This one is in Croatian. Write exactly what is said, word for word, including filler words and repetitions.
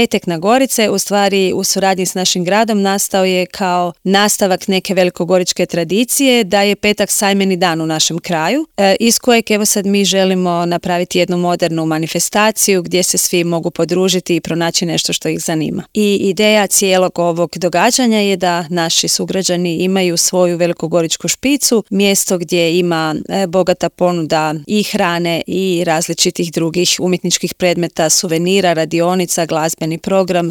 Petak na Gorice u stvari u suradnji s našim gradom nastao je kao nastavak neke velikogoričke tradicije da je petak sajmeni dan u našem kraju, e, iz kojeg evo sad mi želimo napraviti jednu modernu manifestaciju gdje se svi mogu podružiti i pronaći nešto što ih zanima. I ideja cijelog ovog događanja je da naši sugrađani imaju svoju velikogoričku špicu, mjesto gdje ima e, bogata ponuda i hrane i različitih drugih umjetničkih predmeta, suvenira, radionica, glazbeni program,